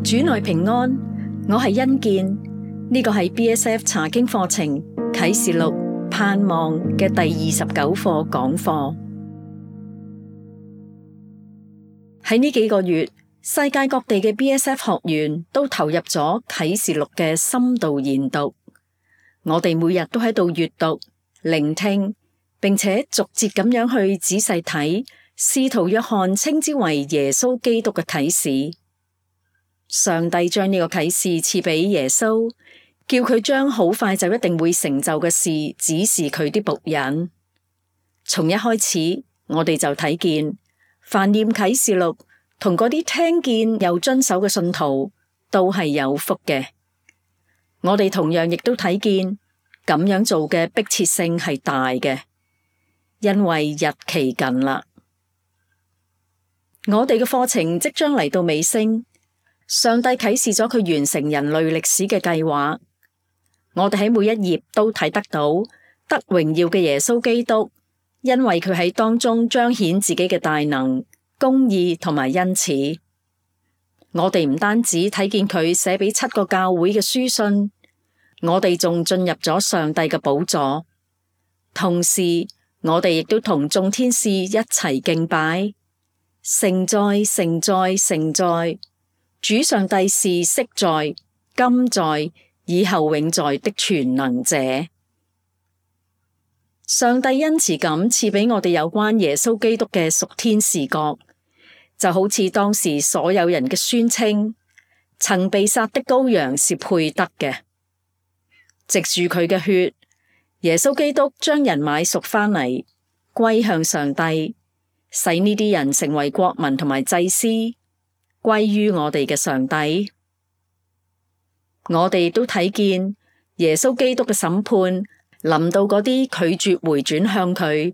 主內平安，我係欣健，呢個係 BSF 查經課程啟示錄盼望嘅第29課講課。喺呢幾個月，世界各地嘅 BSF 學員都投入咗啟示錄嘅深度研讀。我哋每日都喺度閱讀、聆聽，並且逐節咁樣去仔細睇使徒約翰稱之為耶穌基督嘅啟示。上帝將呢個啟示賜俾耶穌，叫佢將好快就一定會成就嘅事指示佢啲僕人。從一開始，我哋就睇見，凡念啟示錄同嗰啲聽見又遵守嘅信徒，都係有福嘅。我哋同樣亦都睇見，咁樣做嘅迫切性係大嘅，因為日期近啦。我哋嘅課程即將嚟到尾聲。上帝啟示咗佢完成人類歷史嘅計劃，我哋喺每一頁都睇得到得榮耀嘅耶穌基督，因為佢喺當中彰顯自己嘅大能、公義同埋恩慈。我哋唔單止睇見佢寫俾7個教會嘅書信，我哋仲進入咗上帝嘅寶座，同時我哋亦都同眾天使一齊敬拜，聖哉，聖哉，聖哉！主上帝是昔在、今在、以後永在的全能者。上帝恩慈咁賜俾我哋有關耶穌基督嘅屬天視覺，就好似當時所有人嘅宣稱，曾被殺的羔羊是配得嘅。藉住佢嘅血，耶穌基督將人買贖返嚟，歸向上帝，使呢啲人成為國民同埋祭司，歸於我哋嘅上帝。我哋都睇見耶穌基督嘅審判臨到嗰啲拒絕回轉向佢，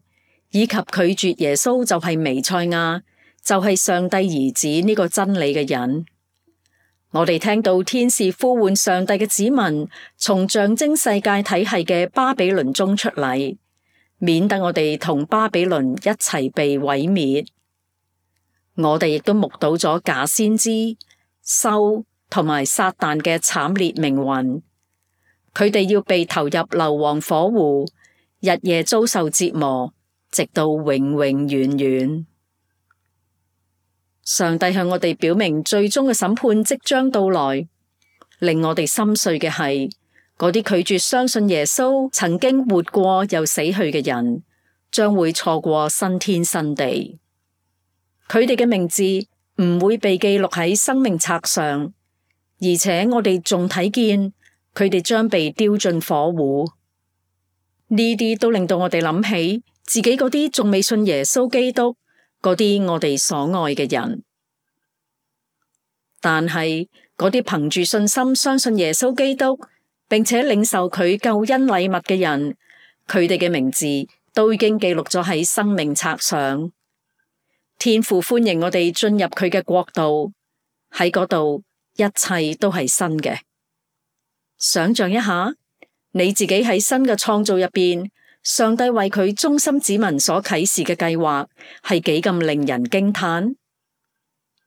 以及拒絕耶穌就係彌賽亞，就係上帝兒子呢個真理嘅人。我哋聽到天使呼喚上帝嘅子民從象徵世界體系嘅巴比倫中出嚟，免得我哋同巴比倫一齊被毀滅。我哋亦都目睹咗假先知、獸同埋撒旦嘅慘烈命運，佢哋要被投入硫磺火湖，日夜遭受折磨，直到永永遠遠。上帝向我哋表明最終嘅審判即將到來，令我哋心碎嘅係嗰啲拒絕相信耶穌曾經活過又死去嘅人，將會錯過新天新地。佢哋嘅名字唔會被記錄喺生命冊上，而且我哋仲睇見佢哋將被丟進火湖。呢啲都令到我哋諗起自己嗰啲仲未信耶穌基督，嗰啲我哋所愛嘅人。但係嗰啲憑住信心相信耶穌基督，並且領受佢救恩禮物嘅人，佢哋嘅名字都已經記錄咗喺生命冊上。天父歡迎我哋進入佢嘅國度，喺嗰度一切都係新嘅。想象一下，你自己喺新嘅創造入邊，上帝為佢忠心子民所啟示嘅計劃係幾咁令人驚嘆。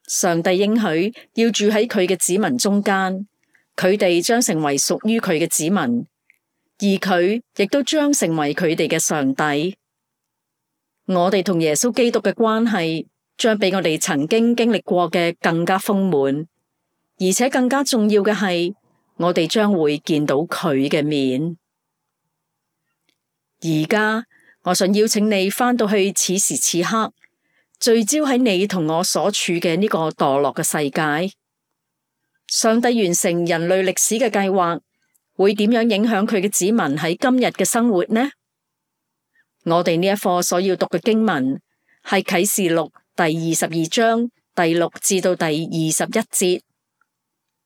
上帝應許要住喺佢嘅子民中間，佢哋將成為屬於佢嘅子民，而佢亦都將成為佢哋嘅上帝。我哋同耶穌基督嘅關係將比我哋曾經經歷過嘅更加豐滿，而且更加重要嘅係，我哋將會見到佢嘅面。而家我想邀請你返到去此時此刻，聚焦喺你同我所處嘅呢個墮落嘅世界。上帝完成人類歷史嘅計劃，會點樣影響佢嘅子民喺今日嘅生活呢？我哋呢一課所要讀嘅經文係啟示錄第22章第6至到第21節。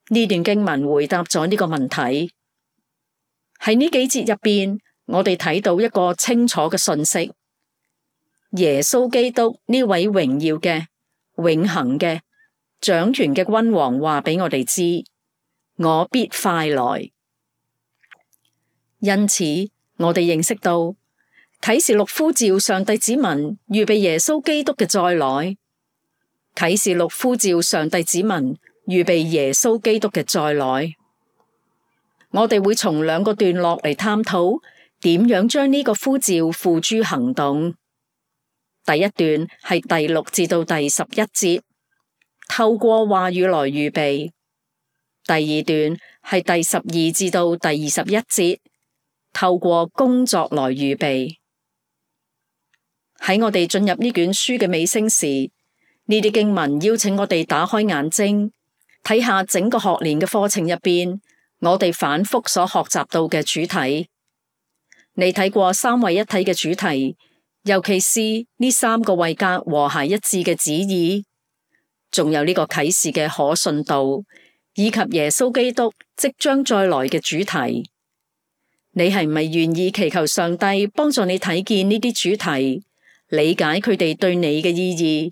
呢段經文回答咗呢個問題。喺呢幾節入邊，我哋睇到一個清楚嘅訊息：耶穌基督呢位榮耀嘅、永恆嘅、掌權嘅君王話俾我哋知，我必快來。因此，我哋認識到啟示錄呼召上帝子民預備耶穌基督嘅再來。啟示錄呼召上帝子民預備耶穌基督嘅再來。我哋會從兩個段落嚟探討點樣將呢個呼召付諸行動。第一段係第6至到第11節，透過話語來預備；第二段係第12至到第21節，透過工作來預備。喺我哋進入呢卷書嘅尾聲時，呢啲經文邀請我哋打開眼睛，睇下整個學年嘅課程入邊，我哋反覆所學習到嘅主題。你睇過三位一體嘅主題，尤其是呢3個位格和諧一致嘅旨意，仲有呢個啟示嘅可信度，以及耶穌基督即將再來嘅主題。你係唔係願意祈求上帝幫助你睇見呢啲主題，理解佢哋對你嘅意義，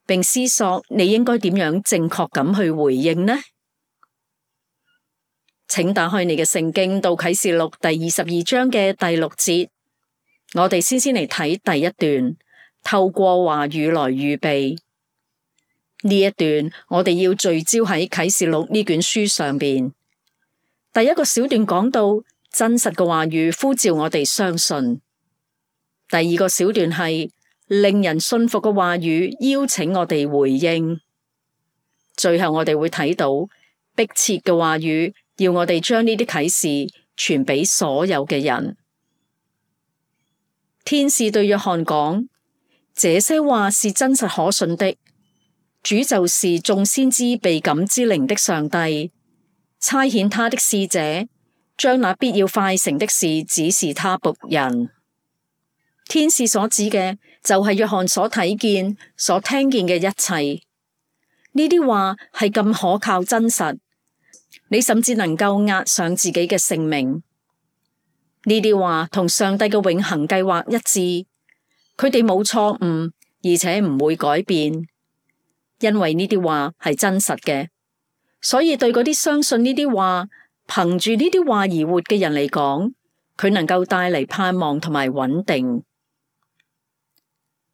並思索你應該點樣正確咁去回應呢？請打開你嘅聖經到啟示錄第22章嘅第6節，我哋先嚟睇第一段，透過話語來預備。呢一段我哋要聚焦喺啟示錄呢卷書上邊。第一個小段講到真實嘅話語呼召我哋相信，第二個小段係令人信服嘅話語邀請我哋回應，最後我哋會睇到迫切嘅話語要我哋將呢啲啟示傳俾所有嘅人。天使對約翰講：這些話是真實可信的，主就是眾先知被感之靈的上帝，差遣他的使者，將那必要快成的事指示他僕人。天使所指嘅就係約翰所睇見、所聽見嘅一切。呢啲話係咁可靠真實，你甚至能夠押上自己嘅性命。呢啲話同上帝嘅永恆計劃一致，佢哋冇錯誤，而且唔會改變，因為呢啲話係真實嘅。所以對嗰啲相信呢啲話、憑住呢啲話而活嘅人嚟講，佢能夠帶嚟盼望同埋穩定。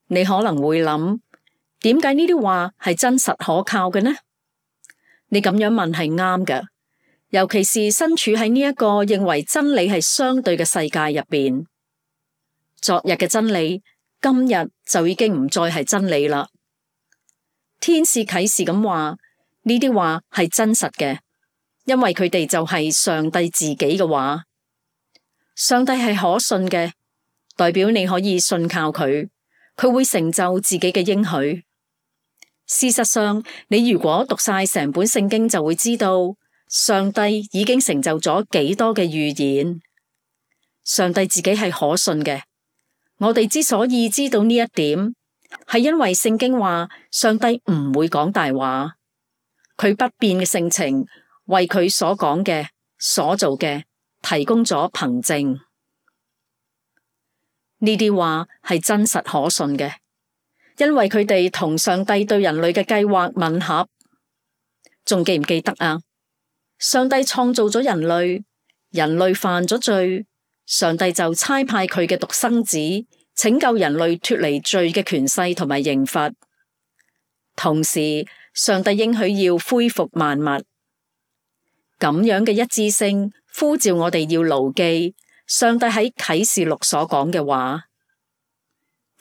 你可能會諗，點解呢啲話係真實可靠嘅呢？你咁樣問係啱嘅，尤其是身處喺呢一個認為真理係相對嘅世界入邊。昨日嘅真理，今日就已經唔再係真理啦。天使啟示咁話，呢啲話係真實嘅，因為佢哋就係上帝自己嘅話。上帝係可信嘅，代表你可以信靠佢，佢會成就自己嘅應許。事實上，你如果讀晒成本聖經，就會知道上帝已經成就咗幾多嘅預言。上帝自己係可信嘅。我哋之所以知道呢一點，係因為聖經話上帝唔會講大話，佢不變嘅性情為佢所講嘅、所做嘅提供咗憑證。呢啲話係真實可信嘅，因為佢哋同上帝對人類嘅計劃吻合。仲記唔記得啊？上帝創造咗人類，人類犯咗罪，上帝就差派佢嘅獨生子拯救人類脫離罪嘅權勢同埋刑罰。同時，上帝應許要恢復萬物。咁樣嘅一致性呼召我哋要牢記上帝喺啟示錄所講嘅話。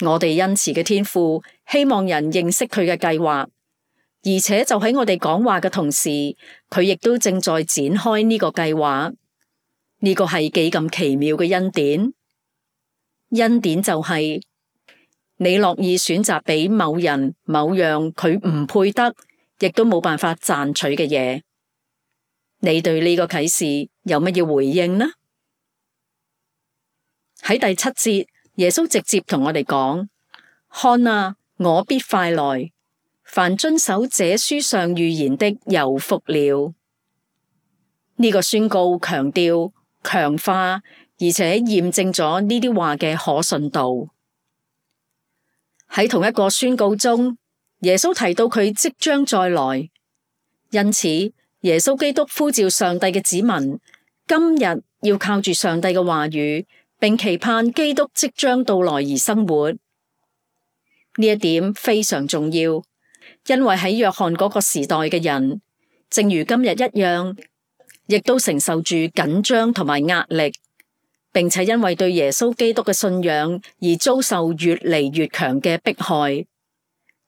我哋恩慈嘅天父希望人認識佢嘅計劃，而且就喺我哋講話嘅同時，佢亦都正在展開呢個計劃。呢個係幾咁奇妙嘅恩典。恩典就係你樂意選擇俾某人某樣佢唔配得，亦都冇辦法賺取嘅嘢。你對呢個啟示有乜嘢回應呢？喺第7節，耶穌直接同我哋講：看啊，我必快來，凡遵守這書上預言的有福了。呢個宣告強調、強化，而且驗證咗呢啲話嘅可信度。喺同一個宣告中，耶穌提到佢即將再來，因此耶穌基督呼召上帝嘅子民，今日要靠住上帝嘅話語，並期盼基督即將到來而生活。呢一點非常重要，因為喺約翰嗰個時代嘅人正如今日一樣，亦都承受住緊張同埋壓力，並且因為對耶穌基督嘅信仰而遭受越嚟越強嘅迫害。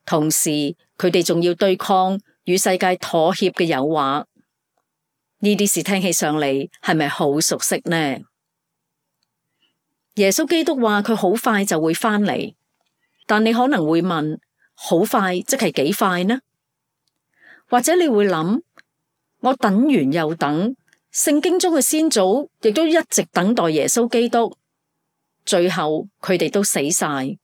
同時，佢哋仲要對抗與世界妥協嘅誘惑。呢啲事聽起上嚟係咪好熟悉呢？耶穌基督話佢好快就會返嚟，但你可能會問，好快即係幾快呢？或者你會諗，我等完又等，聖經中嘅先祖亦都一直等待耶穌基督，最後佢哋都死晒。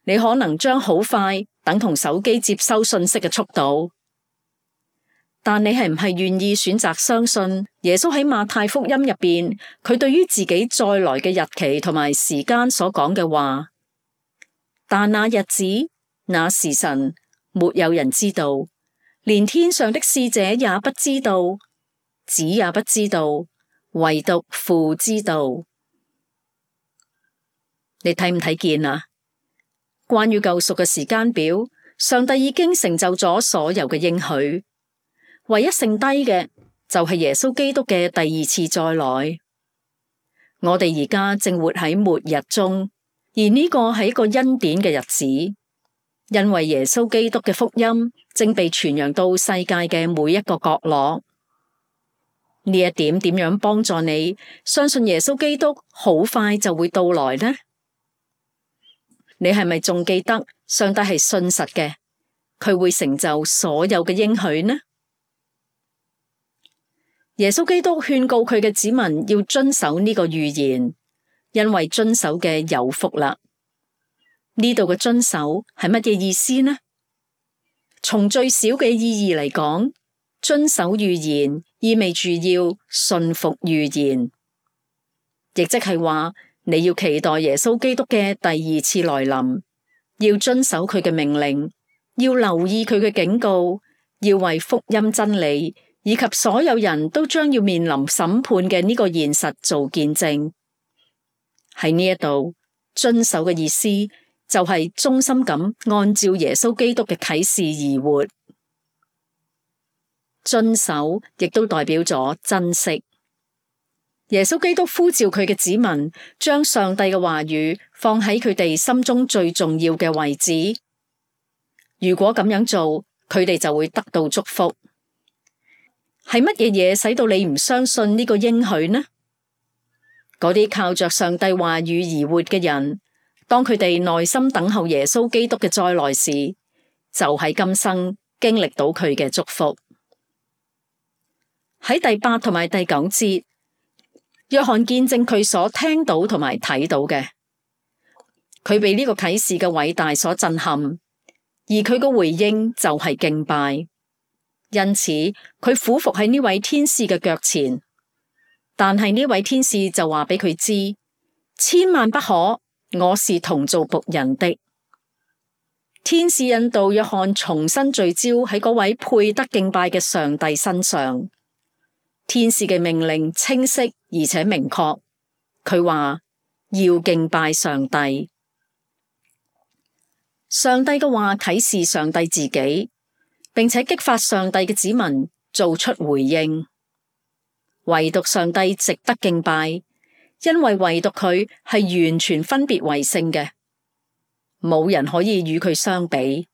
你可能將好快等同手機接收信息嘅速度，但你係唔係願意選擇相信耶穌喺馬太福音入邊，佢對於自己再來嘅日期同埋時間所講嘅話？但那日子、那時辰，沒有人知道，連天上的使者也不知道，子也不知道，唯獨父知道。你睇唔睇見啊？關於救贖嘅時間表，上帝已經成就咗所有嘅應許，唯一剩低嘅就係耶穌基督嘅第二次再來。我哋而家正活喺末日中，而呢個係一個恩典嘅日子，因為耶穌基督嘅福音正被傳揚到世界嘅每一個角落。呢一點點樣幫助你相信耶穌基督好快就會到來呢？你係咪仲記得上帝係信實嘅，佢會成就所有嘅應許呢？耶穌基督勸告佢嘅子民要遵守呢個預言，因為遵守嘅有福啦。呢度嘅遵守係乜嘢意思呢？從最小嘅意義嚟講，遵守預言意味住要信服預言，亦即係話，你要期待耶穌基督嘅第二次來臨，要遵守佢嘅命令，要留意佢嘅警告，要為福音真理以及所有人都將要面臨審判嘅呢個現實做見證。喺呢一度，遵守嘅意思就係忠心咁按照耶穌基督嘅啟示而活。遵守亦都代表咗珍惜。耶穌基督呼召佢嘅子民，將上帝嘅話語放喺佢哋心中最重要嘅位置。如果咁樣做，佢哋就會得到祝福。係乜嘢嘢使到你唔相信呢個應許呢？嗰啲靠着上帝話語而活嘅人，當佢哋耐心等候耶穌基督嘅再來時，就喺今生經歷到佢嘅祝福。喺第8同埋第9節，約翰見證佢所聽到同埋睇到嘅，佢被呢個啟示嘅偉大所震撼，而佢嘅回應就係敬拜。因此，佢俯伏喺呢位天使嘅腳前，但係呢位天使就話俾佢知，千萬不可，我是同做僕人的。天使引導約翰重新聚焦喺嗰位配得敬拜嘅上帝身上。天使嘅命令清晰而且明確，佢話要敬拜上帝。上帝嘅話啟示上帝自己，並且激發上帝嘅子民做出回應。唯獨上帝值得敬拜，因為唯獨佢係完全分別為聖嘅，冇人可以與佢相比。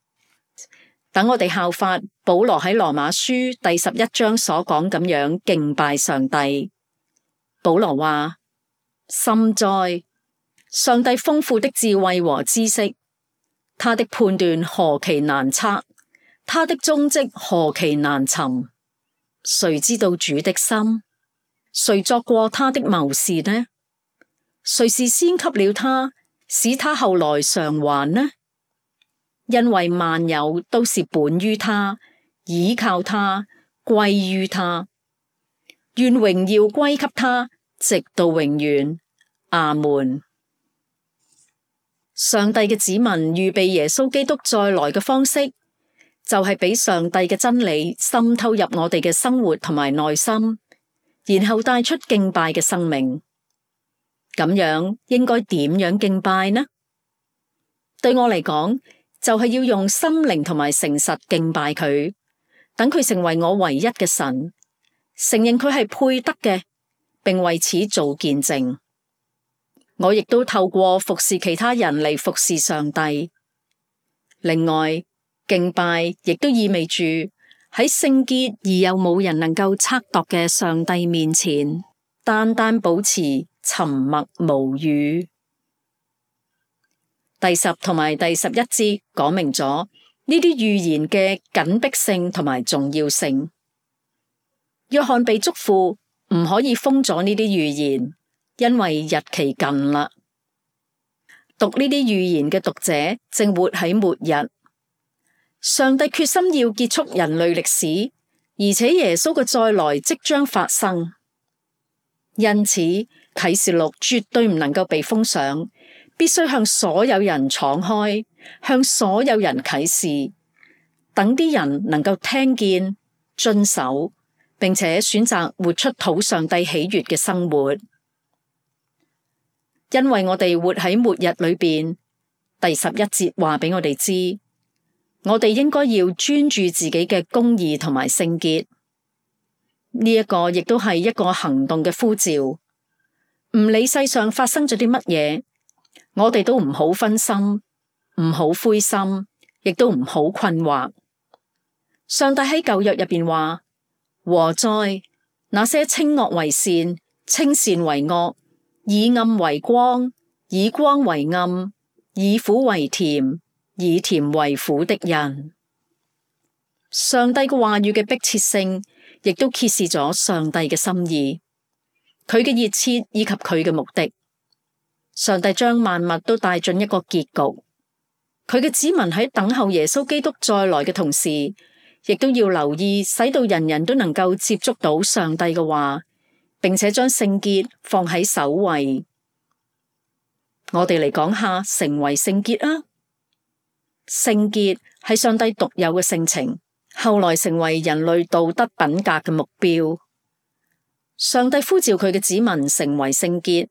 等我哋效法保羅喺羅馬書第11章所講咁樣敬拜上帝。保羅話：深哉，上帝豐富的智慧和知識，他的判斷何其難測，他的蹤跡何其難尋。誰知道主的心？誰作過他的謀士呢？誰是先給了他，使他後來償還呢？因為萬有都是本於他，倚靠他，歸於他。願榮耀歸給他，直到永遠。阿門。上帝嘅子民預備耶穌基督再來嘅方式，就係俾上帝嘅真理滲透入我哋嘅生活同埋內心，然後帶出敬拜嘅生命。咁樣應該點樣敬拜呢？對我嚟講，就係要用心靈同埋誠實敬拜佢，等佢成為我唯一嘅神，承認佢係配得嘅，並為此做見證。我亦都透過服侍其他人嚟服侍上帝。另外，敬拜亦都意味住喺聖潔而又冇人能夠測度嘅上帝面前，單單保持沉默無語。第10同埋第11節講明咗呢啲預言嘅緊迫性同埋重要性。約翰被囑咐唔可以封咗呢啲預言，因為日期近啦。讀呢啲預言嘅讀者正活喺末日。上帝決心要結束人類歷史，而且耶穌嘅再來即將發生。因此，啟示錄絕對唔能夠被封上，必須向所有人敞開，向所有人啟示，等啲人能夠聽見、遵守，並且選擇活出討上帝喜悅嘅生活。因為我哋活喺末日裏邊，第11節話俾我哋知，我哋應該要專注自己嘅公義同埋聖潔。呢一個亦都係一個行動嘅呼召，唔理世上發生咗啲乜嘢，我哋都唔好分心，唔好灰心，亦都唔好困惑。上帝喺舊約入邊話：禍哉，那些稱惡為善，稱善為惡，以暗為光，以光為暗，以苦為甜，以甜為苦的人。上帝嘅話語嘅迫切性，亦都揭示咗上帝嘅心意，佢嘅熱切以及佢嘅目的。上帝將萬物都帶進一個結局，佢嘅子民喺等候耶穌基督再來嘅同時，亦都要留意，使到人人都能夠接觸到上帝嘅話，並且將聖潔放喺首位。我哋嚟講下成為聖潔啊！聖潔係上帝獨有嘅性情，後來成為人類道德品格嘅目標。上帝呼召佢嘅子民成為聖潔，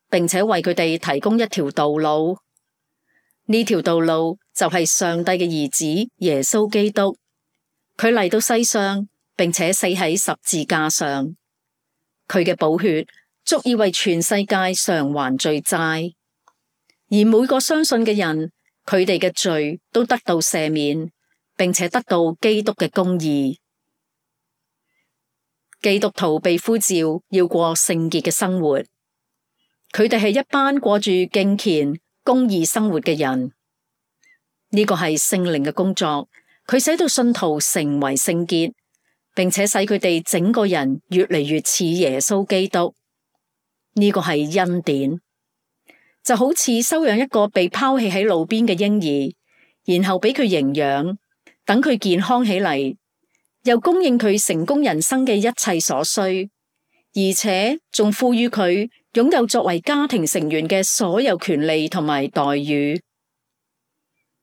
並且為佢哋提供一條道路。呢條道路就係上帝嘅兒子耶穌基督。佢嚟到世上，並且死喺十字架上。佢嘅寶血足以為全世界償還罪債，而每個相信嘅人，佢哋嘅罪都得到赦免，並且得到基督嘅公義。基督徒被呼召要過聖潔嘅生活，佢哋係一班過住敬虔、公義生活嘅人。呢個係聖靈嘅工作，佢使到信徒成為聖潔，並且使佢哋整個人越嚟越似耶穌基督。呢個係恩典，就好似收養一個被拋棄喺路邊嘅嬰兒，然後俾佢營養，等佢健康起嚟，又供應佢成功人生嘅一切所需，而且仲賦予佢擁有作為家庭成員嘅所有權利同埋待遇。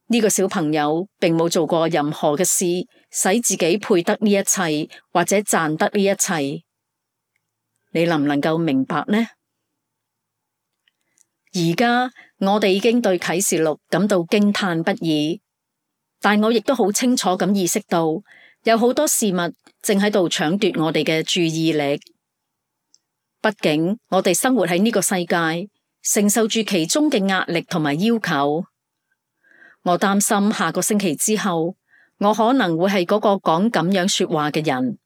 呢個小朋友並冇做過任何嘅事，使自己配得呢一切，或者賺得呢一切。你能唔能夠明白呢？而家我哋已經對啟示錄感到驚嘆不已，但我亦都好清楚咁意識到，有好多事物正喺度搶奪我哋嘅注意力。畢竟我哋生活喺呢個世界，承受住其中嘅壓力同埋要求。我擔心下個星期之後，我可能會係嗰個講咁樣說話嘅人。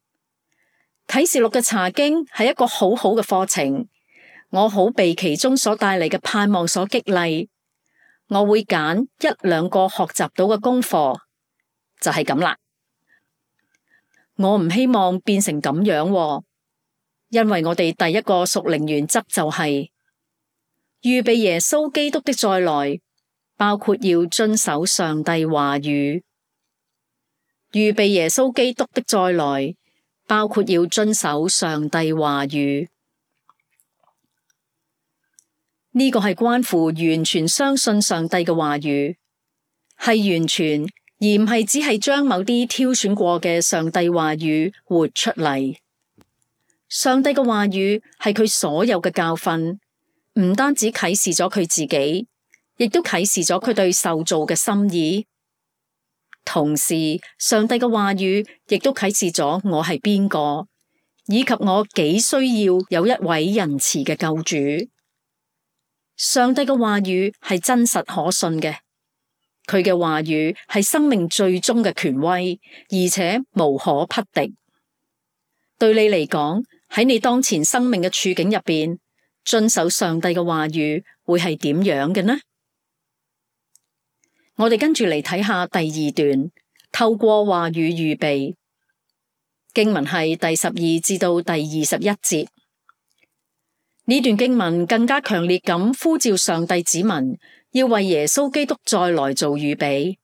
啟示錄嘅查經係一個好好嘅課程，我好被其中所帶嚟嘅盼望所激勵。我會揀一兩個學習到嘅功課，就係咁啦。我唔希望變成咁樣，因為我哋第一個屬靈原則就係預備耶穌基督的再來，包括要遵守上帝話語。預備耶穌基督的再來，包括要遵守上帝話語。呢個係關乎完全相信上帝嘅話語，係完全，而唔係只係將某啲挑選過嘅上帝話語活出嚟。上帝嘅話語係佢所有嘅教訓，唔單止啟示咗佢自己，亦都啟示咗佢對受造嘅心意。同時上帝嘅話語亦都啟示咗我係邊個，以及我幾需要有一位仁慈嘅救主。上帝嘅話語係真實可信嘅，佢嘅話語係生命最終嘅權威，而且無可匹敵。對你嚟講，喺你當前生命嘅處境入邊，遵守上帝嘅話語會係點樣嘅呢？我哋跟住嚟睇下第二段，透過話語預備。經文係第12至到第21節。呢段經文更加強烈咁呼召上帝子民要為耶穌基督再來做預備。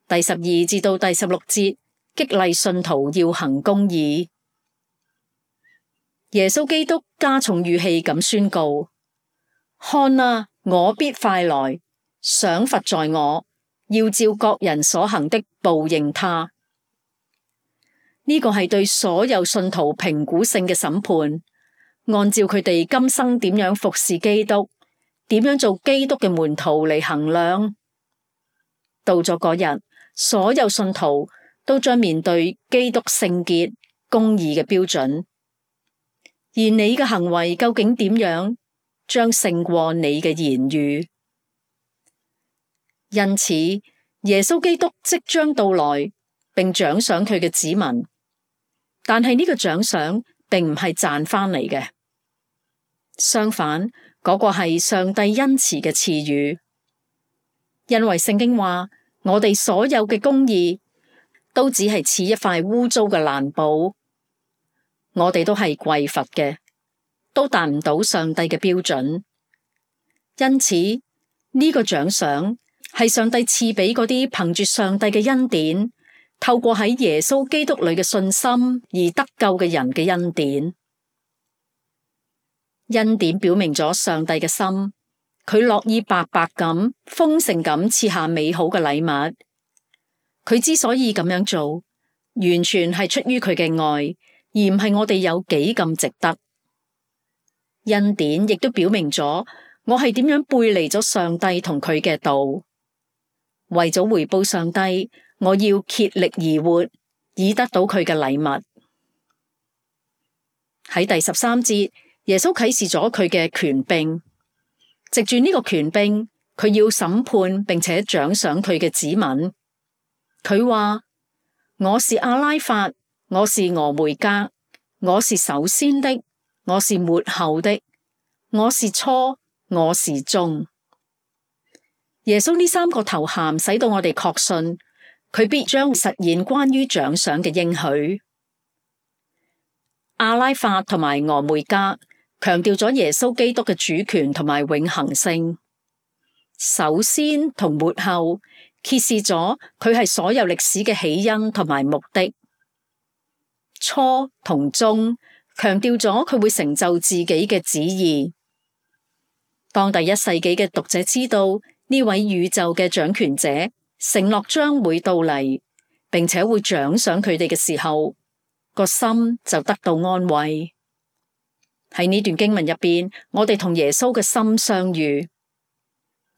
第12至到第16節激勵信徒要行公義。耶穌基督加重語氣咁宣告：看啊，我必快來，賞罰在我，要照各人所行的報應他。呢個係對所有信徒評估性嘅審判，按照佢哋今生點樣服侍基督，點樣做基督嘅門徒嚟衡量。到咗嗰日，所有信徒都將面對基督聖潔、公義嘅標準，而你嘅行為究竟點樣，將勝過你嘅言語。因此，耶穌基督即將到來，並獎賞佢嘅子民。但係呢個獎賞並唔係賺翻嚟嘅，相反，嗰個係上帝恩慈嘅賜予。因為聖經話，我哋所有嘅公義都只係似一塊污糟嘅爛布，我哋都係匱乏嘅，都達唔到上帝嘅標準。因此，呢個獎賞係上帝賜俾嗰啲憑住上帝嘅恩典，透過喺耶穌基督裏嘅信心而得救嘅人嘅恩典。恩典表明咗上帝嘅心，佢樂意白白咁、豐盛咁賜下美好嘅禮物。佢之所以咁樣做，完全係出於佢嘅愛，而唔係我哋有幾咁值得。恩典亦都表明咗我係點樣背離咗上帝同佢嘅道。為咗回報上帝，我要竭力而活，以得到佢嘅禮物。喺第13節，耶穌啟示咗佢嘅權柄，藉住呢個權柄，佢要審判並且獎賞佢嘅子民。佢話：我是阿拉法，我是俄梅戛，我是首先的，我是末後的，我是初，我是終。耶穌呢3個頭銜使到我哋確信，佢必將實現關於獎賞嘅應許。阿拉法同埋俄梅戛強調咗耶穌基督嘅主權同埋永恆性。首先同末後揭示咗佢係所有歷史嘅起因同埋目的。初同終強調咗佢會成就自己嘅旨意。當第1世紀嘅讀者知道呢位宇宙嘅掌權者承諾將會到嚟，並且會獎賞佢哋嘅時候，個心就得到安慰。喺呢段經文入邊，我哋同耶穌嘅心相遇。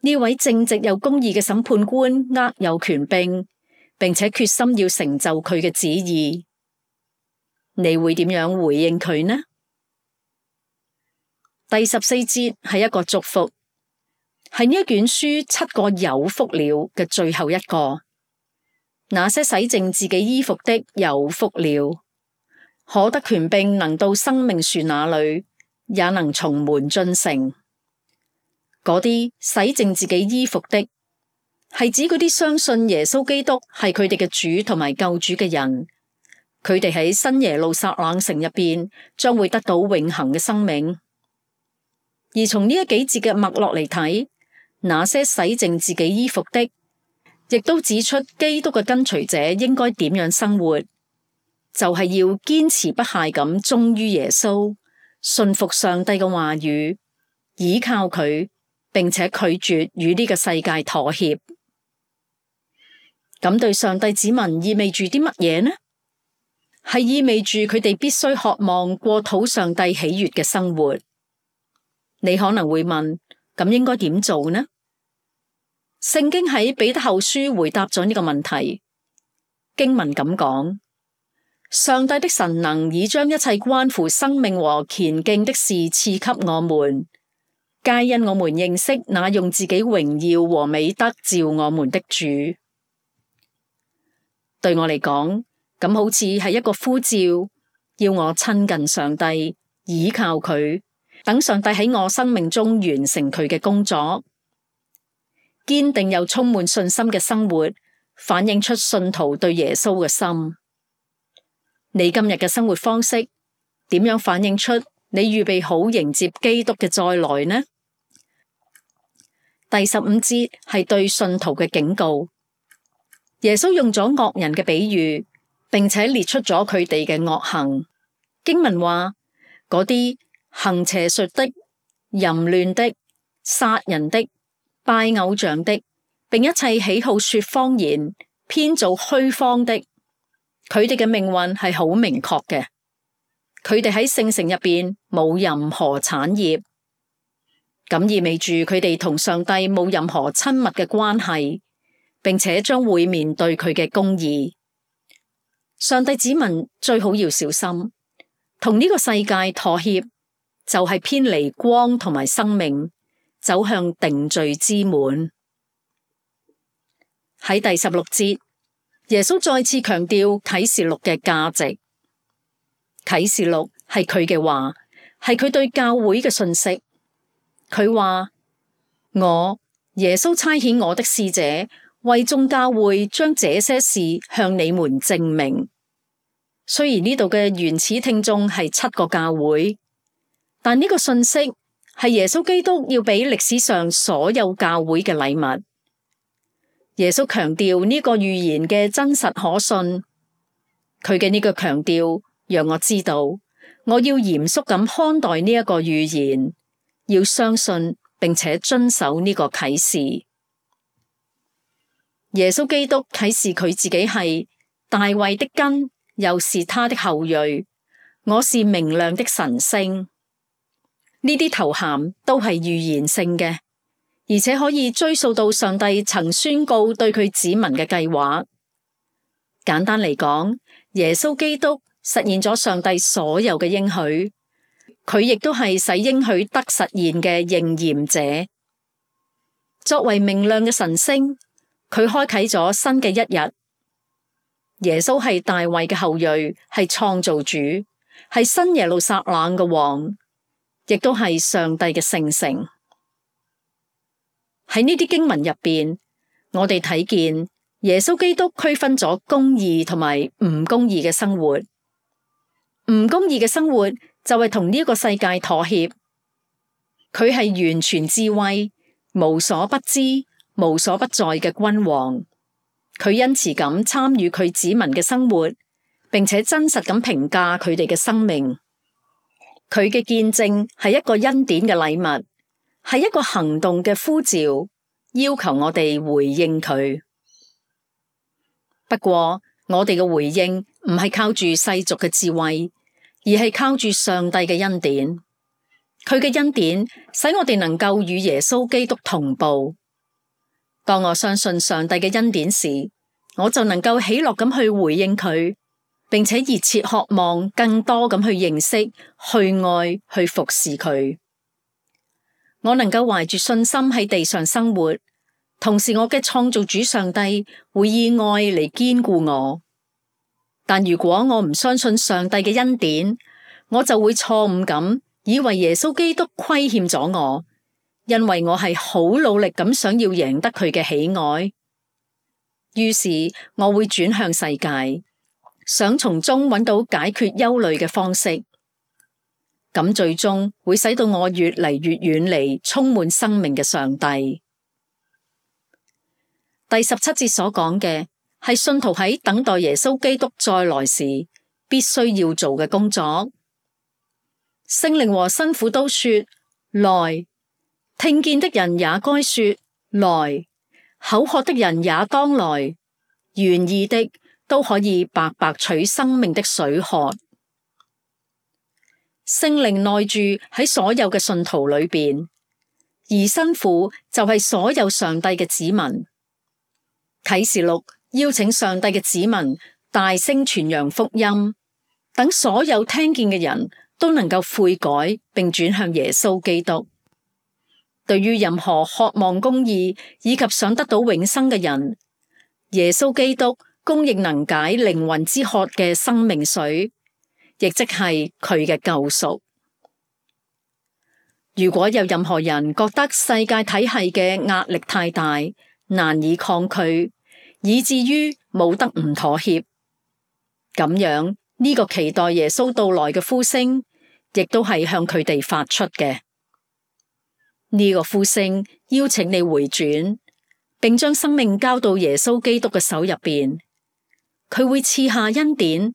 呢位正直又公義嘅審判官握有權柄，並且決心要成就佢嘅旨意。你會點樣回應佢呢？第14節係一個祝福，係呢一卷書7個有福了嘅最後一個。那些洗淨自己衣服的有福了，可得權柄能到生命樹那裏，也能從門進城。嗰啲洗淨自己衣服的，係指嗰啲相信耶穌基督係佢哋嘅主同埋救主嘅人。佢哋喺新耶路撒冷城入邊將會得到永恆嘅生命。而從呢幾節嘅脈絡嚟睇，那些洗淨自己衣服的，亦都指出基督嘅跟隨者應該點樣生活，就係要堅持不懈咁忠於耶穌，信服上帝嘅話語，倚靠佢，並且拒絕與呢個世界妥協。咁對上帝子民意味住啲乜嘢呢？係意味住佢哋必須渴望過討上帝喜悅嘅生活。你可能會問，咁應該點做呢？聖經喺彼得後書回答咗呢個問題。經文咁講：上帝的神能已將一切關乎生命和虔敬的事賜給我們，皆因我們認識那用自己榮耀和美德召我們的主。對我嚟講，咁好似係一個呼召，要我親近上帝，倚靠佢，等上帝喺我生命中完成佢嘅工作。堅定又充滿信心嘅生活，反映出信徒對耶穌嘅心。你今日嘅生活方式點樣反映出你預備好迎接基督嘅再來呢？第15節係對信徒嘅警告。耶穌用咗惡人嘅比喻，並且列出咗佢哋嘅惡行。經文話：嗰啲行邪術的、淫亂的、殺人的、拜偶像的，並一切喜好說謊言、編造虛謊的，佢哋嘅命運係好明確嘅。佢哋喺聖城入邊冇任何產業，咁意味住佢哋同上帝冇任何親密嘅關係，並且將會面對佢嘅公義。上帝子民最好要小心，同呢個世界妥協，就係偏離光同埋生命，走向定罪之門。喺第16節，耶穌再次強調啟示錄嘅價值。啟示錄係佢嘅話，係佢對教會嘅信息。佢話：我耶穌差遣我的使者，為眾教會將這些事向你們證明。雖然呢度嘅原始聽眾係7個教會，但呢個信息係耶穌基督要俾歷史上所有教會嘅禮物。耶穌強調呢個預言嘅真實可信，佢嘅呢個強調讓我知道，我要嚴肅咁看待呢一個預言，要相信並且遵守呢個啟示。耶穌基督啟示佢自己係大衛的根，又是他的後裔，我是明亮的晨星。呢啲頭銜都係預言性嘅，而且可以追溯到上帝曾宣告對佢子民嘅計劃。簡單嚟講，耶穌基督實現咗上帝所有嘅應許，佢亦都係使應許得實現嘅應驗者。作為明亮嘅晨星，佢開啟咗新嘅一日。耶穌係大衛嘅後裔，係創造主，係新耶路撒冷嘅王，亦都係上帝嘅聖城。喺呢啲經文入邊，我哋睇見耶穌基督區分咗公義同埋唔公義嘅生活。唔公義嘅生活就係同呢個世界妥協。佢係完全智慧、無所不知、無所不在嘅君王。佢恩慈咁參與佢子民嘅生活，並且真實咁評價佢哋嘅生命。佢嘅見證係一個恩典嘅禮物，係一個行動嘅呼召，要求我哋回應佢。不過，我哋嘅回應唔係靠住世俗嘅智慧，而係靠住上帝嘅恩典。佢嘅恩典使我哋能夠與耶穌基督同步。當我相信上帝嘅恩典時，我就能夠喜樂咁去回應佢，並且熱切渴望更多咁去認識、去愛、去服侍佢。我能夠懷住信心喺地上生活，同時我嘅創造主上帝會以愛嚟堅固我。但如果我唔相信上帝嘅恩典，我就會錯誤咁以為耶穌基督虧欠咗我，因為我係好努力咁想要贏得佢嘅喜愛。於是我會轉向世界，想從中揾到解決憂慮嘅方式。咁最終會使到我越嚟越遠離充滿生命嘅上帝。第17節所講嘅係信徒喺等待耶穌基督再來時必須要做嘅工作。聖靈和新婦都說來，聽見的人也該說來，口渴的人也當來，願意的都可以白白取生命的水喝。聖靈內住喺所有嘅信徒裏邊，兒新婦就係所有上帝嘅子民。啟示錄邀請上帝嘅子民大聲傳揚福音，等所有聽見嘅人都能夠悔改並轉向耶穌基督。對於任何渴望公義以及想得到永生嘅人，耶穌基督供應能解靈魂之渴嘅生命水，亦即係佢嘅救贖。如果有任何人覺得世界體系嘅壓力太大，難以抗拒，以至於冇得唔妥協，咁樣呢個期待耶穌到來嘅呼聲，亦都係向佢哋發出嘅。呢個呼聲邀請你回轉，並將生命交到耶穌基督嘅手入邊，佢會賜下恩典，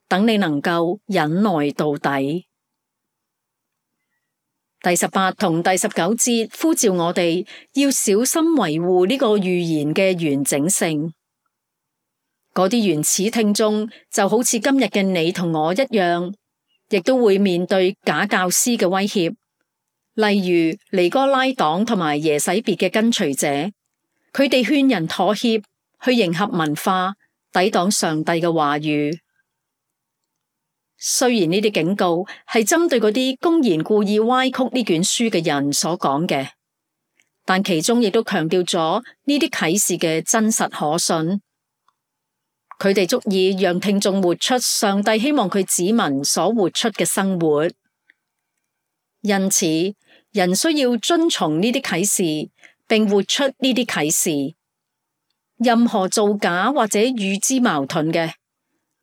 等你能夠忍耐到底。第18同第19節呼召我哋要小心維護呢個預言嘅完整性。嗰啲原始聽眾就好似今日嘅你同我一樣，亦都會面對假教師嘅威脅，例如尼哥拉黨同埋耶洗別嘅跟隨者，佢哋勸人妥協，去迎合文化，抵擋上帝嘅話語。雖然呢啲警告係針對嗰啲公然故意歪曲呢卷書嘅人所講嘅，但其中亦都強調咗呢啲啟示嘅真實可信。佢哋足以讓聽眾活出上帝希望佢子民所活出嘅生活。因此，人需要遵從呢啲啟示，並活出呢啲啟示。任何造假或者與之矛盾嘅，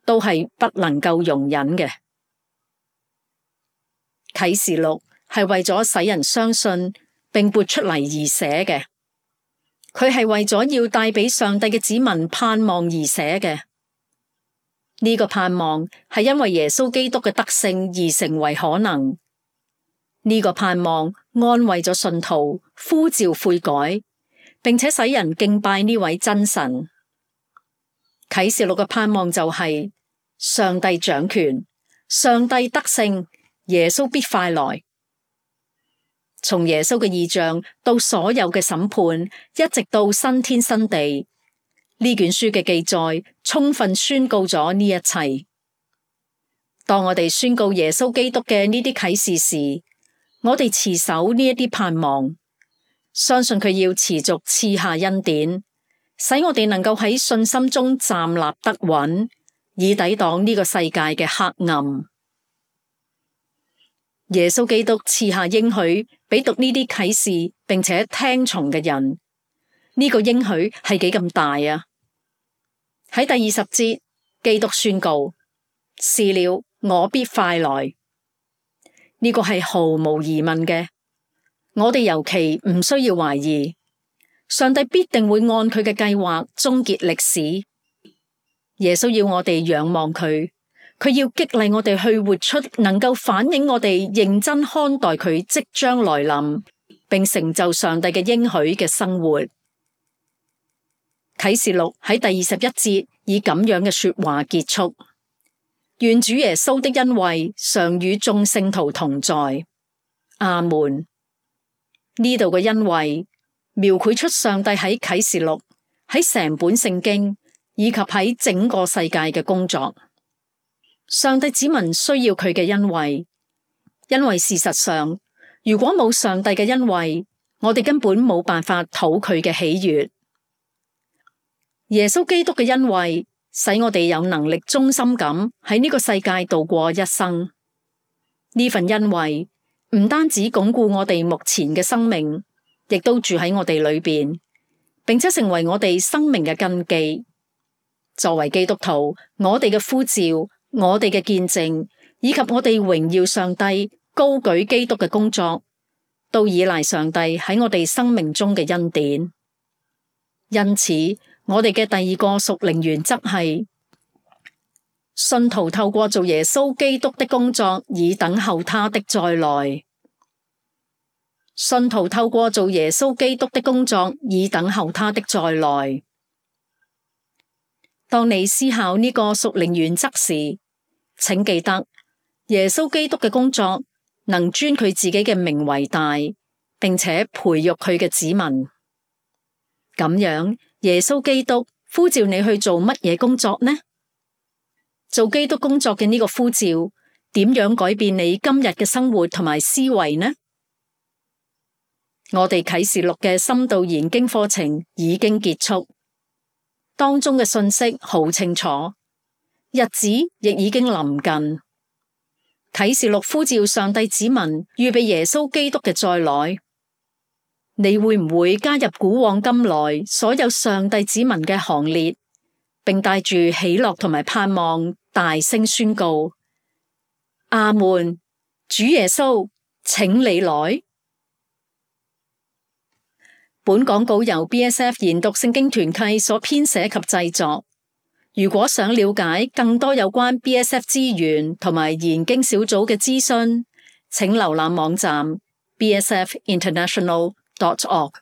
都係不能夠容忍嘅。啟示錄係為咗使人相信並活出嚟而寫嘅，佢係為咗要帶俾上帝嘅子民盼望而寫嘅。呢個盼望係因為耶穌基督嘅得勝而成為可能。呢個盼望安慰咗信徒，呼召悔改，並且使人敬拜呢位真神。啟示錄嘅盼望就係上帝掌權，上帝得勝，耶穌必快來。從耶穌嘅異象到所有嘅審判，一直到新天新地，呢卷書嘅記載充分宣告咗呢一切。當我哋宣告耶穌基督嘅呢啲啟示時，我哋持守呢一啲盼望，相信佢要持續賜下恩典，使我哋能夠喺信心中站立得穩，以抵擋呢個世界嘅黑暗。耶穌基督賜下應許俾讀呢啲啟示並且聽從嘅人，呢個應許係幾咁大啊！喺第20節，基督宣告：是了，我必快來。呢個係毫無疑問嘅，我哋尤其唔需要懷疑，上帝必定會按佢嘅計劃終結歷史。耶穌要我哋仰望佢，佢要激勵我哋去活出能夠反映我哋認真看待佢即將來臨，並成就上帝嘅應許嘅生活。啟示錄喺第21節以咁樣嘅說話結束：願主耶穌的恩惠常與眾聖徒同在。阿門。呢度嘅恩惠描繪出上帝喺啟示錄、喺成本聖經以及喺整個世界嘅工作。上帝子民需要佢嘅恩惠，因為事實上，如果冇上帝嘅恩惠，我哋根本冇辦法討佢嘅喜悅。耶穌基督嘅恩惠使我哋有能力忠心咁喺呢個世界度過一生。呢份恩惠唔單止鞏固我哋目前嘅生命，亦都住喺我哋裏邊，並且成為我哋生命嘅根基。作為基督徒，我哋嘅呼召、我哋嘅見證，以及我哋榮耀上帝、高舉基督嘅工作，都依賴上帝喺我哋生命中嘅恩典。因此，我哋嘅第二個屬靈原則係，信徒透過做耶穌基督的工作，以等候他的再來。信徒透過做耶穌基督的工作，以等候他的再來。當你思考呢個屬靈原則時，請記得耶穌基督嘅工作能尊佢自己嘅名為大，並且培育佢嘅子民。咁樣，耶穌基督呼召你去做乜嘢工作呢？做基督工作嘅呢個呼召，點樣改變你今日嘅生活同埋思維呢？我哋啟示錄嘅深度研經課程已經結束，當中嘅信息好清楚，日子亦已經臨近。啟示錄呼召上帝子民預備耶穌基督嘅再來，你會唔會加入古往今來所有上帝子民嘅行列，並帶住喜樂同埋盼望大聲宣告：阿們，主耶穌，請你來。本廣告由 BSF 研讀聖經團契所編寫及製作。如果想了解更多有關 BSF 資源同埋研經小組嘅資訊，請瀏覽網站 bsfinternational.org。